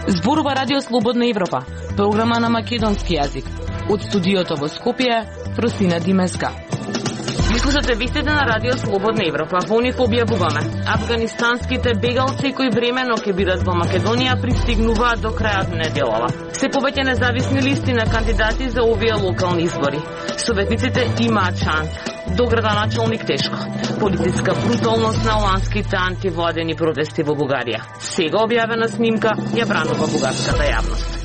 Зборува Радио Слободна Европа, програма на македонски јазик. Од студиото во Скопје, Просина Димеска. Ви слушате вестите на Радио Слободна Европа. Во нив објавуваме: афганистанските бегалци кои времено ќе бидат во Македонија пристигнуваат до крајот на неделава. Се повеќе независни листи на кандидати за овие локални избори. Советниците имаат шанса. До градоначалник тешко. Полициска бруталност на ланските антивладени протести во Бугарија. Сега објавена снимка ја бранува бугарската јавност.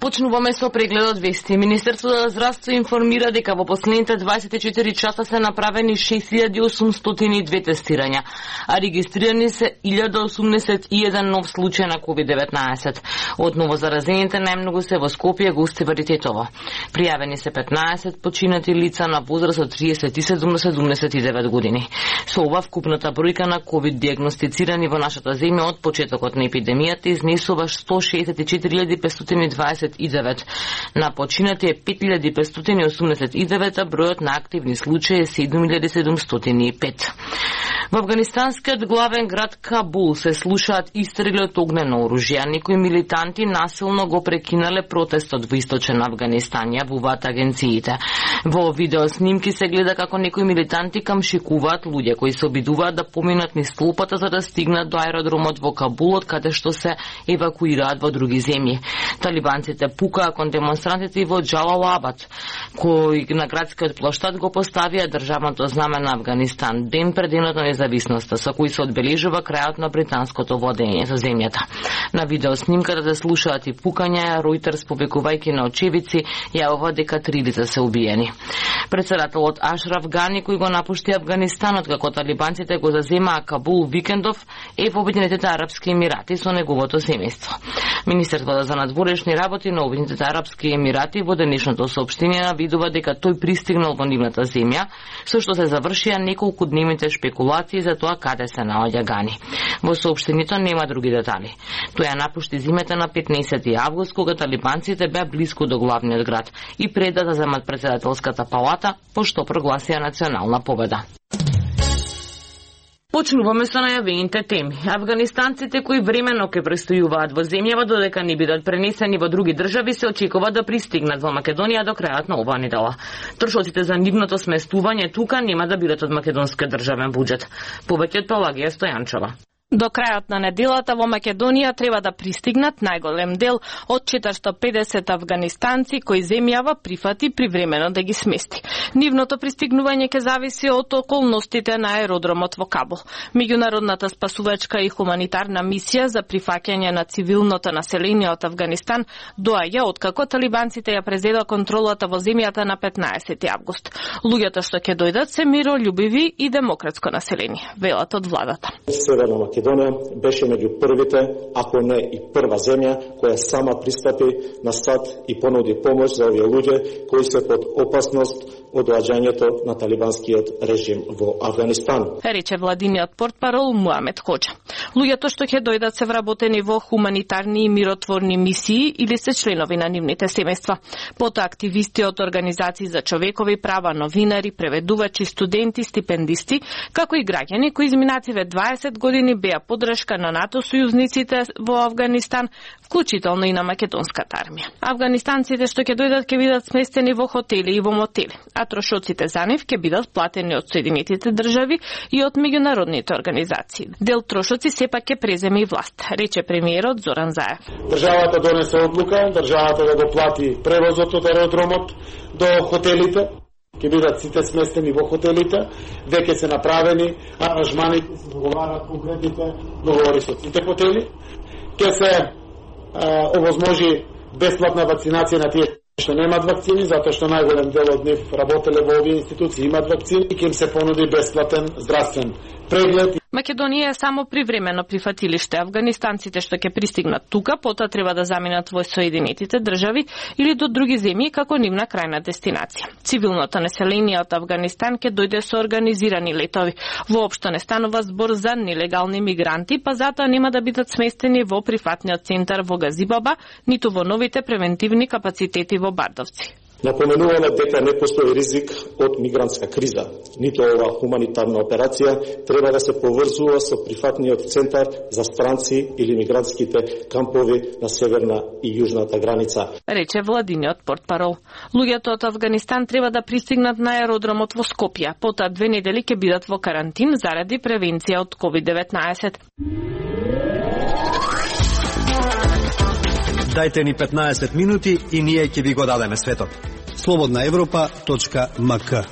Почнуваме со прегледот вести. Министерството за здравство информира дека во последните 24 часа се направени 6802 тестирања, а регистрирани се 1081 нов случај на COVID-19. Од новозаразените најмногу се во Скопје, Гостивар и Тетово. Пријавени се 15 починати лица на возраст од 37 до 79 години. Со ова вкупната бројка на COVID диагностицирани во нашата земја од почетокот на епидемијата изнесува 164.529. На починати е 5589, а бројот на активни случаи е 7705. Во афганистанскиот главен град Кабул се слушаат истрели од огнено оружје. Некои милитанти насилно го прекинале протестот во источен Афганистан, јавуваат агенциите. Во видеоснимки се гледа како некои милитанти камшикуваат луѓе кои се обидуваат да поминат низ толпата за да стигнат до аеродромот во Кабул, од каде што се евакуираат во други земји. Талибанците пукаа кон демонстрантите и во Джалалабад, кои на градскиот плоштад го поставија државното знаме на Афганистан ден пред денот на независноста, со кој се одбележува крајот на британското владење за земјата. На видеоснимката се слушаат и пукања, Ројтерс повикувајќи на очевици јавува дека 3 лица се убиени. Председателот Ашраф Гани, кој го напушти Афганистанот како талибанците го заземаа Кабул викендов, е во Обединетите арапски емирати со неговото семејство. Министерството за надворешни работи на Обединетите арапски емирати во денешното соопштение навидува дека тој пристигнал во нивната земја, со што се завршија неколку дневните шпекулации за тоа каде се наоѓа Гани. Во соопштението нема други детали. Тој ја напушти зимата на 15 август, кога талибанците беа близко до главниот град и пред да земат председателската палата, пошто прогласија национална победа. Почнуваме со најавените теми. Афганистанците кои времено ќе престојуваат во земјава додека не бидат пренесени во други држави се очекува да пристигнат во Македонија до крајот на оваа недела. Трошоците за нивното сместување тука нема да бидат од македонскиот државен буџет. Повеќе од Пелагија Стојанчова. До крајот на неделата во Македонија треба да пристигнат најголем дел од 450 афганистанци кои земјава прифати привремено да ги смести. Нивното пристигнување ќе зависи од околностите на аеродромот во Кабул. Меѓународната спасувачка и хуманитарна мисија за прифаќање на цивилното население од Афганистан доаѓа откако талибанците ја презедоа контролата во земјата на 15 август. Луѓето што ќе дојдат се мирољубиви и демократско население, велат од владата. Македонија беше меѓу првите, ако не и прва земја, која сама пристапи на САД и понуди помош за овие луѓе кои се под опасност од доаѓањето на талибанскиот режим во Афганистан. Рече владиниот портпарол Муамед Хоџа. Луѓето што ќе дојдат се вработени во хуманитарни и миротворни мисии или се членови на нивните семејства. Потоа активисти од организации за човекови права, новинари, преведувачи, студенти, стипендисти, како и граѓани кои изминативе 20 години беа поддршка на НАТО сојузниците во Афганистан, вклучително и на македонската армија. Афганистанците што ќе дојдат ќе бидат сместени во хотели и во мотели, а трошоците за нив ќе бидат платени од Соединетите држави и од меѓународните организации. Дел трошоци сепак ќе преземе и власт, рече премиерот Зоран Заев. Државата донесе одлука, државата да го плати превозот од аеродромот до хотелите. Ќе бидат сите сместени во хотелите, веќе се направени аранжмани, се договарат конкретните договори со сите хотели. Ќе се овозможи бесплатна вакцинација на тие што немаат вакцини, затоа што најголем дел од нив работеле во овие институции, имаат вакцини и ќе им се понуди бесплатен здравствен преглед. Македонија е само привремено прифатилиште. Афганистанците што ќе пристигнат тука, потоа треба да заминат во Соединетите држави или до други земји како нивна крајна дестинација. Цивилното население од Афганистан ќе дојде со организирани летови. Воопшто не станува збор за нелегални мигранти, па затоа нема да бидат сместени во прифатниот центар во Газибаба, ниту во новите превентивни капацитети во Бардовци. Напоменуваме дека не постои ризик од мигрантска криза. Ниту ова хуманитарна операција треба да се поврзува со прифатниот центар за странци или мигрантските кампови на северна и јужната граница, рече владиниот портпарол. Луѓето од Афганистан треба да пристигнат на аеродромот во Скопје, потоа 2 недели ќе бидат во карантин заради превенција од COVID-19. Дајте ни 15 минути и ние ќе ви го дадеме светот. slobodnaevropa.mk.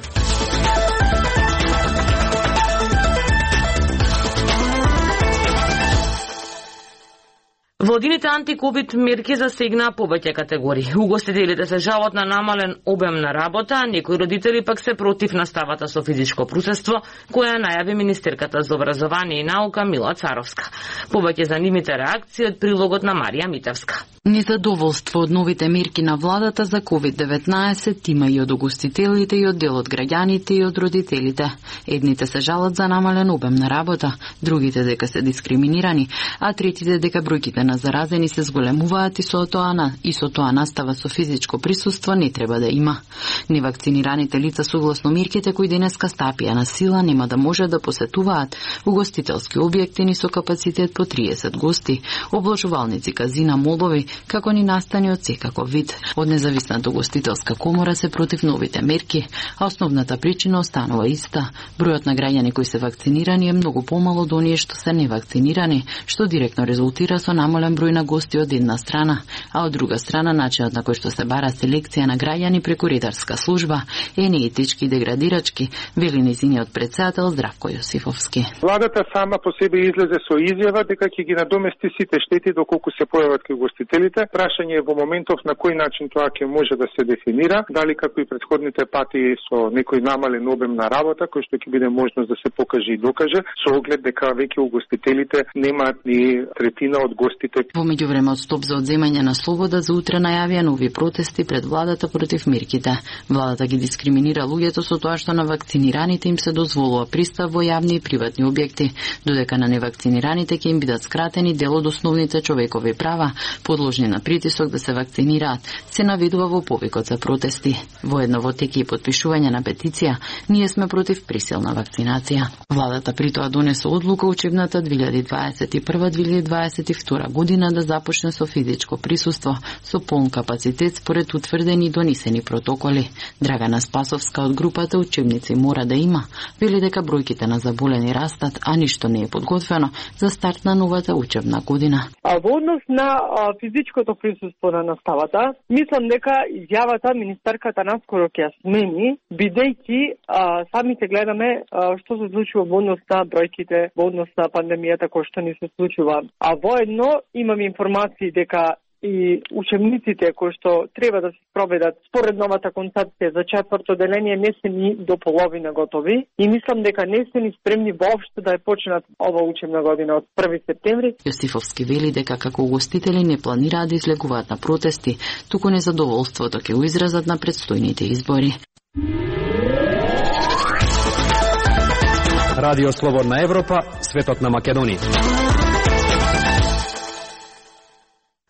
Владините антиковид мерки засегнаа повеќе категории. Угостителите се жалат на намален обем на работа, а некои родители пак се против наставата со физичко присуство, која најави министерката за образование и наука Мила Царовска. Повеќе за нивните реакции од прилогот на Марија Митевска. Незадоволство од новите мерки на владата за COVID-19 има и од угостителите, и од дел од граѓаните, и од родителите. Едните се жалат за намален обем на работа, другите дека се дискриминирани, а третите дека бројките на заразени се зголемуваат и со тоа настава со физичко присуство не треба да има. Невакцинираните лица согласно мерките кои денеска стапија на сила нема да може да посетуваат угостителски објекти ни со капацитет по 30 гости, обложувалници, казина, молови, како ни настани од секаков вид. Од независната угостителска комора се против новите мерки, а основната причина останува иста. Бројот на граѓани кои се вакцинирани е многу помало од оние што се невакцинирани, што директно резултира со намален број на гости од една страна, а од друга страна начинот на кој што се бара селекција на граѓани преку редарска служба е неетички и деградирачки, вели нејзиниот претседател Здравко Јосифовски. Владата сама по себе излезе со изјава дека ќе ги надомести сите штети доколку се појават кај гостителите. Прашање е во моментов на кој начин тоа ќе може да се дефинира, дали како и претходните пати со некој намален обем на работа, кој што ќе биде можност да се покаже и докаже, со оглед дека веќе угостителите немаат ни третина од гостите. Во меѓувреме од стоп за одземање на слобода за утре најавија нови протести пред владата против мерките. Владата ги дискриминира луѓето со тоа што на вакцинираните им се дозволува пристап во јавни и приватни објекти, додека на невакцинираните ќе им бидат скратени дел од основните човекови права, подложни на притисок да се вакцинираат, се наведува во повикот за протести. Воедно во теке и потпишување на петиција, ние сме против присилна вакцинација. Владата при тоа донесе одлука учебната 2021-2022 година да започне со физичко присуство, со полн капацитет според утврдени и донесени протоколи. Драгана Спасовска од групата Учебници мора да има, вели дека бројките на заболени растат, а ништо не е подготвено за старт на новата учебна година. Во однос на физичкото присуство на наставата, мислам дека изјавата министерката наскоро ќе смени, бидејќи самите гледаме што се случува во однос на бројките, во однос на пандемијата кој што ни се случува. А воедно имам информации дека и учебниците кои што треба да се спроведат според новата концепција за четврто деление не се ни до половина готови и мислам дека не се ни спремни воопшто да ја почнат ова учебна година од 1 септември. Јосифовски вели дека како угостители не планираат да излегуваат на протести, туку незадоволството ќе го изразат на предстојните избори. Радио Слободна Европа, светот на Македонија.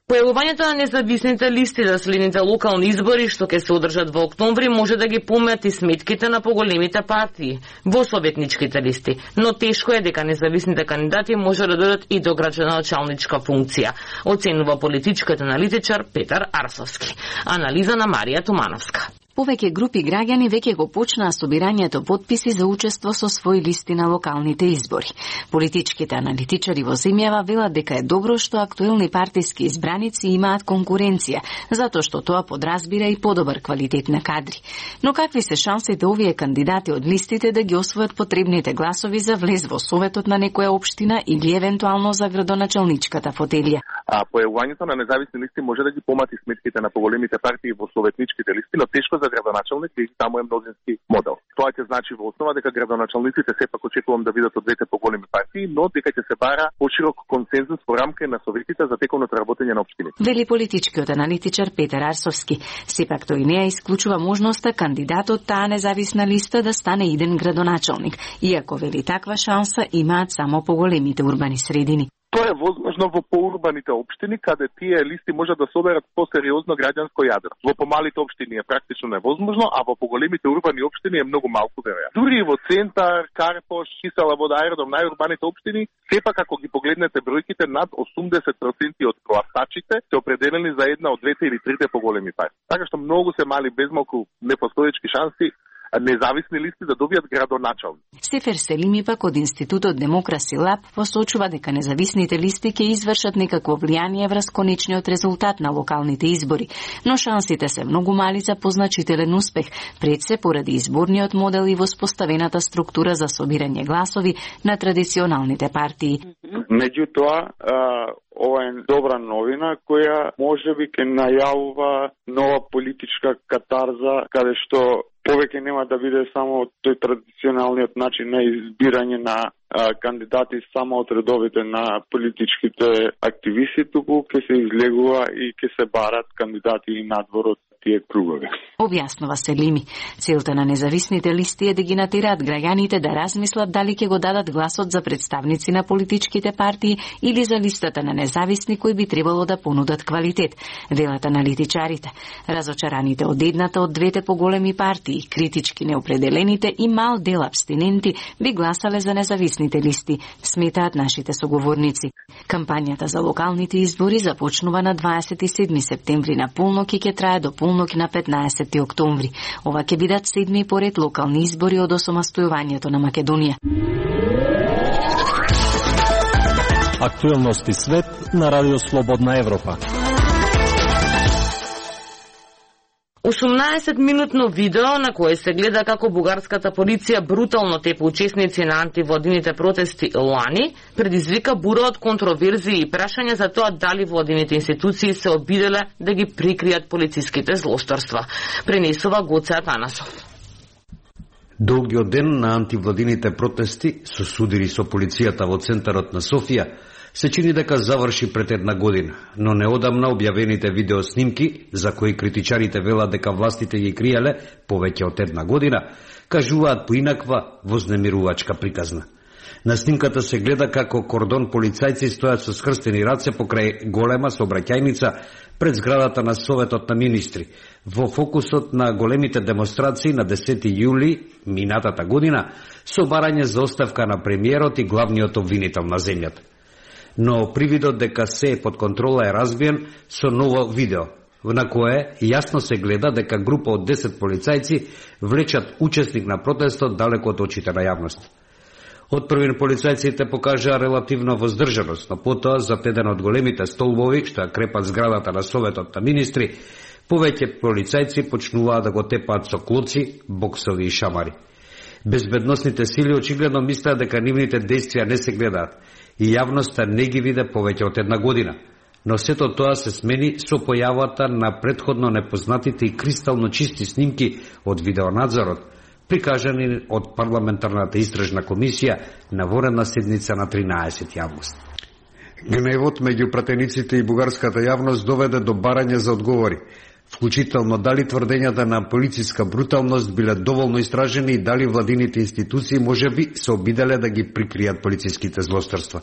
Појавувањето на независните листи за следните локални избори што ќе се одржат во октомври може да ги помеат и сметките на поголемите партии во советничките листи, но тешко е дека независните кандидати може да додат и до градоначалничка функција, оценува политичкиот аналитичар Петар Арсовски. Анализа на Марија Тумановска. Повеќе групи граѓани веќе го почнаа собирањето потписи за учество со своји листи на локалните избори. Политичките аналитичари во земјава велат дека е добро што актуелни партиски избраници имаат конкуренција, затоа што тоа подразбира и подобар квалитет на кадри. Но какви се шансите овие кандидати од листите да ги освојат потребните гласови за влез во советот на некоја општина или евентуално за градоначалничката фотелија? Појавувањето на независни листи може да ги помати сметките на поголемите партии во советничките листи, но тешко за градоначалник и таму е мнозински модел. Тоа ќе значи во основа дека градоначалниците сепак очекувам да бидат од двете поголеми партии, но дека ќе се бара поширок консензус во рамка на советите за теконото работење на општините. Вели политичкиот аналитичар Петар Арсовски. Сепак тој не ја исклучува можноста кандидатот таа независна листа да стане иден градоначалник, иако вели таква шанса имаат само поголемите урбани средини. Тоа е возможно во поурбаните општини, каде тие листи можат да соберат посериозно граѓанско јадро. Во помалите општини е практично невозможно, а во поголемите урбани општини е многу малку веројатно. Дури и во центар, Карпош, Кисела вода, Аеродром, најурбаните општини, сепак ако ги погледнете бројките, над 80% од гласачите се определени за една од двете или трите поголеми партии. Така што многу се мали безмалку непостоечки шанси независни листи да добијат градоначалник. Сефер Селими пак од Институтот Демокраси Лаб посочува дека независните листи ќе извршат некакво влијание врз конечниот резултат на локалните избори, но шансите се многу мали за позначителен успех, пред се поради изборниот модел и воспоставената структура за собирање гласови на традиционалните партии. Меѓутоа, ова е добра новина која можеби ќе најавува нова политичка катарза, каде што повеќе нема да биде само тој традиционалниот начин на избирање на кандидати само од редовите на политичките активисти, туку ќе се излегува и ќе се барат кандидати и надвор од тие кругови. Објаснува Селими. Целта на независните листи е да ги натераат граѓаните да размислат дали ќе го дадат гласот за представници на политичките партии или за листата на независни кои би требало да понудат квалитет, велат аналитичарите. Разочараните од едната од двете поголеми партии, критички неопределените и мал дел абстиненти би гласале за независните листи, сметаат нашите соговорници. Кампањата за локалните избори започнува на 27 септември на полнок и ќе трае до полнок на 15 октомври. Ова ќе бидат 7 поред локални избори од осамостојувањето на Македонија. Актуелности свет на Радио Слободна Европа. 18-минутно видео на кое се гледа како бугарската полиција брутално тепа учесници на антивладините протести лани, предизвика бура од контроверзии и прашања за тоа дали владините институции се обиделе да ги прикријат полициските злосторства. Пренесува Гоце Атанасов. Долгиот ден на антивладините протести со судири со полицијата во центарот на Софија се чини дека заврши пред една година, но неодамна објавените видеоснимки, за кои критичарите велат дека властите ги криеле повеќе од една година, кажуваат поинаква вознемирувачка приказна. На снимката се гледа како кордон полицајци стојат со скрстени раце покрај голема сообраќајница пред зградата на Советот на министри, во фокусот на големите демонстрации на 10 јули минатата година со барање за оставка на премиерот и главниот обвинител на земјата. Но привидот дека се е под контрола е разбиен со ново видео, на кое јасно се гледа дека група од 10 полицајци влечат учесник на протестот далеко од очите на јавност. Од првин полицајците покажаа релативна воздржаност, но потоа за еден од големите столбови што ја крепат зградата на Советот на министри, повеќе полицајци почнуваа да го тепаат со клоци, боксови и шамари. Безбедносните сили очигледно мислеа дека нивните действија не се гледаат и јавноста не ги виде повеќе од една година. Но сето тоа се смени со појавата на претходно непознатите и кристално чисти снимки од видеонадзорот, прикажани од парламентарната истражна комисија на воредна седница на 13 август. Гневот меѓу пратениците и бугарската јавност доведе до барање за одговори, вклучително дали тврдењата на полициска бруталност биле доволно истражени и дали владините институции можеби се обиделе да ги прикријат полициските злосторства.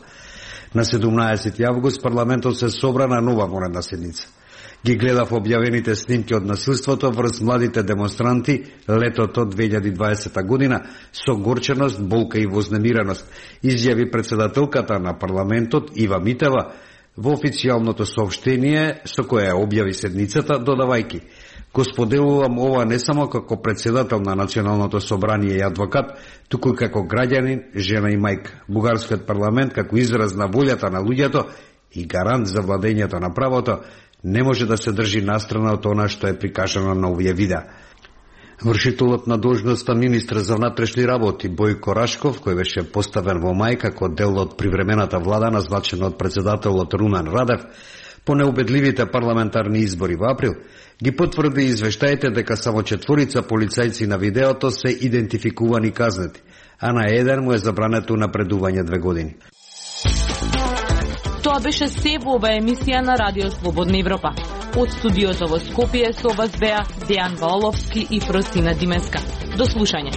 На 17 август парламентот се собра на нова воредна седница. Ги гледав објавените снимки од насилството врз младите демонстранти летото 2020 година со горченост, болка и вознемиреност, изјави председателката на парламентот Ива Митева во официјалното соопштение со кое објави седницата, додавајки: го споделувам ова не само како председател на Националното собрание и адвокат, туку и како граѓанин, жена и мајка. Бугарскиот парламент како израз на волјата на луѓето и гарант за владењето на правото не може да се држи настрана од она што е прикажано на овие видеа. Вршителот на должноста министр за внатрешни работи Бојко Рашков, кој беше поставен во мај како дел од привремената влада назначен од председателот Румен Радев, По неубедливите парламентарни избори во април, ги потврди извештаите дека само 4 полицајци на видеото се идентификувани казнети, а на еден му е забрането напредување 2 години. Тоа беше се во ова емисија на Радио Слободна Европа. Од студиото во Скопје со вас беа Дејан Валовски и Фросина Димеска. До слушање.